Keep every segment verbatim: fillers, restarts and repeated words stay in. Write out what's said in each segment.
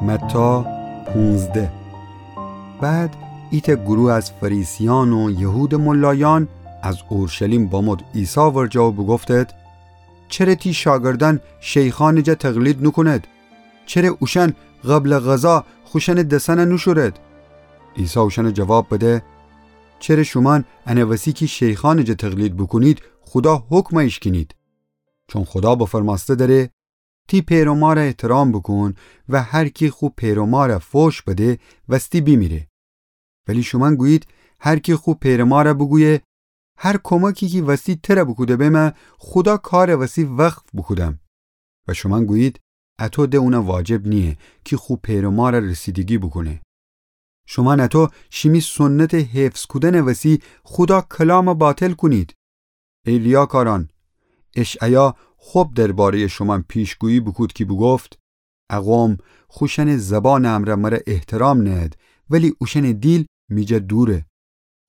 متی پونزده. بعد ایتأ گروه از فریسیأن و یهودٚ ملایأن از اورشلیم بامد عیسی ورجه و بوگفتید: چره تی شاگردأن شیخأنٚ جا تقلید نوکونید؟ چره اوشأن قبلٚ غذا خوشأنٚ دسأن نوشورید؟ عیسی اوشأن جواب بده: چره شومأن انٚ وسی کی شیخأنٚ جا تقلید بوکونید، خودا حکم ایشکینید؟ چون خودا بفرمأسته دأره: تی پئر و مار احترام بوکون و هر کی خو پئر و مار فوش بده، وستی بیمیره. ولی شومأن گویید: هر کی خو پئر و مار بوگویه: هر کمکی کی وستی تر بوکوده بمه، خودا کارٚ وسی وقف بوکودم. و شومأن گویید: اطو ده اون واجب نییه کی خو پئر و مار رسیدگی بوکونه. شومأن اطو شیمی سنتٚ حفظ کودنٚ وسی خودا کلام باطل کونید. ای ریاکارأن، اشعیا خب درباره‌یٚ شومأن پیشگویی بوکود کی بوگفت: ا قوم خوشأنٚ زبانٚ امرأ مر احترام نهد، ولی اوشأنٚ دیل می جا دوره.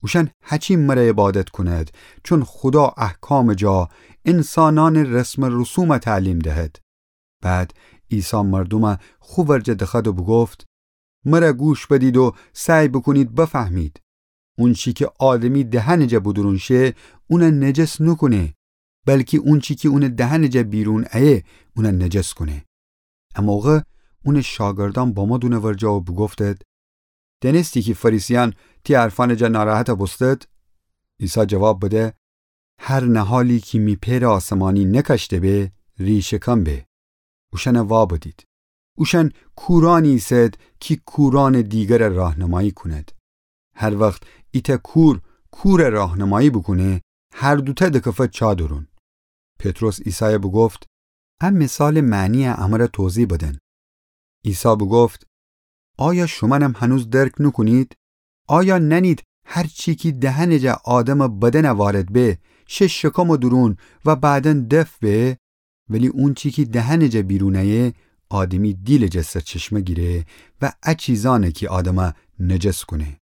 اوشأن هچین مر عبادت کونید، چون خودا احکامٚ جا انسانأنٚ رسم و رسوم تعلیم دهد. بعد عیسی مردوم خو ورجه دخوأد و بوگفت: مر گوش بدید و سعی بوکونید بفهمید. اونچی کی آدمی دهنٚ جا بودورون شه، اون نجس نوکونه، بلکی اونچی کی اونٚ دهنٚ جا بیرون ایه، اون نجس کونه. ا موقع اونٚ شاگردأن بامد اونٚ ورجه و بوگفتید: دأنستی کی فریسیأن تی حرفأنٚ جا ناراحت بوستید؟ عیسی جواب بده: هر نهالی کی می پئرٚ آسمانی نکشته به، ریشه‌کن به. اوشأن وابدید. اوشأن کورأنی ایسید کی کورأنٚ دیگر راهنمایی کونید. هر وخت ایتأ کور کور راهنمایی بوکونه، هر دوتأ دکفه چا دورون. پطرس عیسای بوگفت: ا مثالٚ معنی امر توضیح بدن. عیسی بوگفت: آیا شومأنم هنوز درک نوکونید؟ آیا نأنید هر چی کی دهنٚ جا آدمٚ بدن وارد به، شه شکمٚ دورون و بعدا دفع به؟ ولی اونچی کی دهنٚ جا بیرون ایه، آدمی دیلٚ جا سرچشمه گیره و ا چیزأنه کی آدم نجس کونه.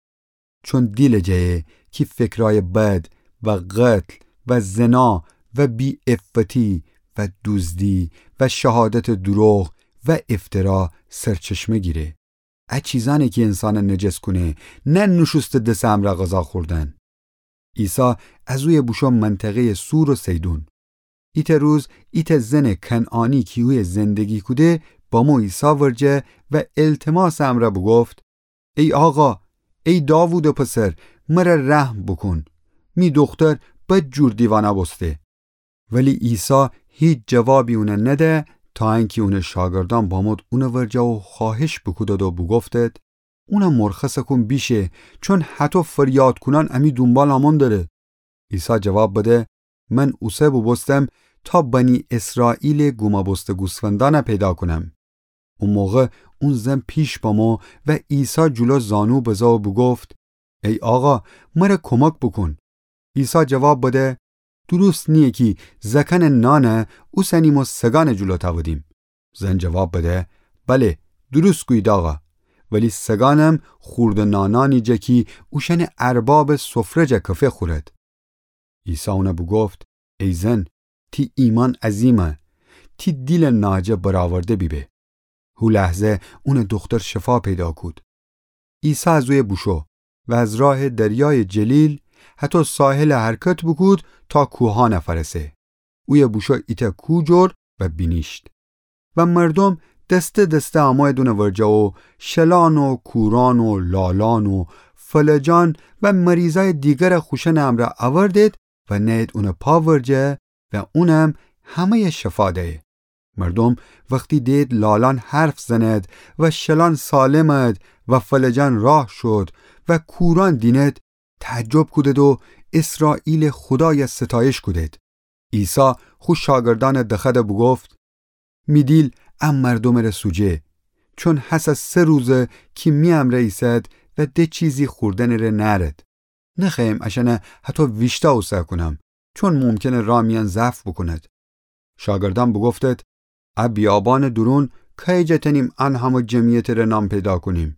چون دیلٚ جایه کی فکرأیٚ بد و قتل و زنا و بی‌عفتی و دوزدی و شهادتٚ دوروغ و افترا سرچشمه گیره. ا چیزأنه کی انسان نجس کونه، نه نوشوسته دسٚ امرأ غذا خوردن. عیسی از اویه بوشو منطقه‌یٚ صور و صیدون. ایتأ روز ایتأ زنٚ کنعانی کی اویه زندگی کوده، بامو عیسی ورجه و التماسٚ امرأ بوگفت: ای آقا، ای داوودٚ پسر، مر رحم بوکون. می دوختر بدجور دیوانه بوسته. ولی عیسی هیچ جوابی اون نده، تا انکی اونٚ شاگردأن بامد اونٚ ورجه و خوأهش بوکودد و بوگفتد: اون مرخص کون بیشه، چون هطو فریاد کونأن امی دونبال آمون دره. عیسی جواب بده: من اوسه بوبوستم تا بنی اسرائیلٚ گومه بوسته گوسفندأن پیدا کونم. او موقع اون زن پیش بامو و عیسی جلو زانو بزه و بوگفت: ای آقا، مر کمک بوکون. عیسی جواب بده: دروست نییه کی زأکأنٚ نان اوسنیم و سگأنٚ جلو تأودیم. زن جواب بده: بله، دروست گویید آقا، ولی سگأنم خوردٚ نانأنی جا کی اوشأنٚ اربابٚ سفره جا کفه خورد. عیسی اون بوگفت: ای زن، تی ایمأن عظیمه، تی دیلٚ ناجه برآورده بیبه. هو لحظه اونٚ دوختر شفا پیدا کود. عیسی از اویه بوشو و از راه دریایٚ جلیل هطو ساحل حرکت بوکود تا کوهأن فأرسه. اویه بوشو ایتأ کوه جور و بینیشت. و مردوم دسته دسته امویید اونٚ ورجه و شلأن و کورأن و لالأن و فلجأن و مریضأیٚ دیگر خوشأنٚ امرأ اوردید و نأیید اونٚ پا ورجه و اونم همه‌یٚ شفا دیه. مردوم وختی دئید لالأن حرف زند و شلأن سالمد و فلجأن راه شد و کورأن دیند، تعجب کودید و اسرائیلٚ خودای ستایش کودید. عیسی خو شاگردأن دخوأد بوگفت: می دیل ا مردومٚ ره سوجه، چون هسه سه روزه کی می امرأ ایسد و ده چیزی خوردنٚ ره نأرد. نخوأیم اشأن هطو ویشتأ اوسه کونم، چون ممکنه راه میأن ضعف بوکوند. شاگردأن بوگفتید: ا بیابانٚ دورون کایجا تأنیم ان همه جمعیتٚ ره نان پیدا کونیم؟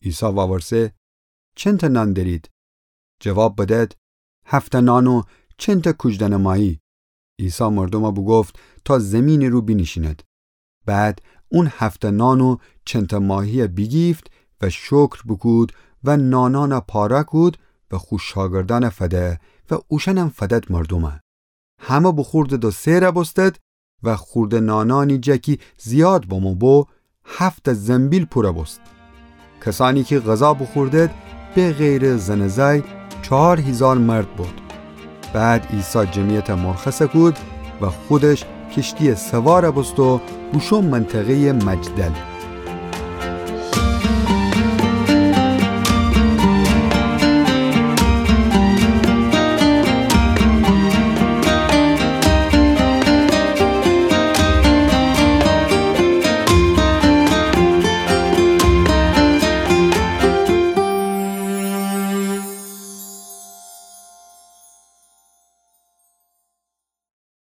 عیسی وورسه: چنتأ نان دأرید؟ جواب بدید: هفتأ نان و چنتأ کوجدأنٚ ماهی. عیسی مردوم بوگفت تا زیمینٚ رو بینیشیند. بعد اون هفته نان و چنته ماهیه بیگیفت و شکر بوکود و نانانه پاره کود و خو شاگردانه فده و اوشأنم فدد مردومه. همه بوخوردد و سئره بوستد و خورده نانانی جا کی زیاد بمو بو، هفته زنبیل پوره بوست. کسأنی کی غذا بوخوردد، به غیرٚ زن و زأی، چهار هیزار مرد بود. بعد عیسی جمعیته مرخصه کود و خودش کشتیه سواره بوست و بوشو منطقه‌یٚ مجدل.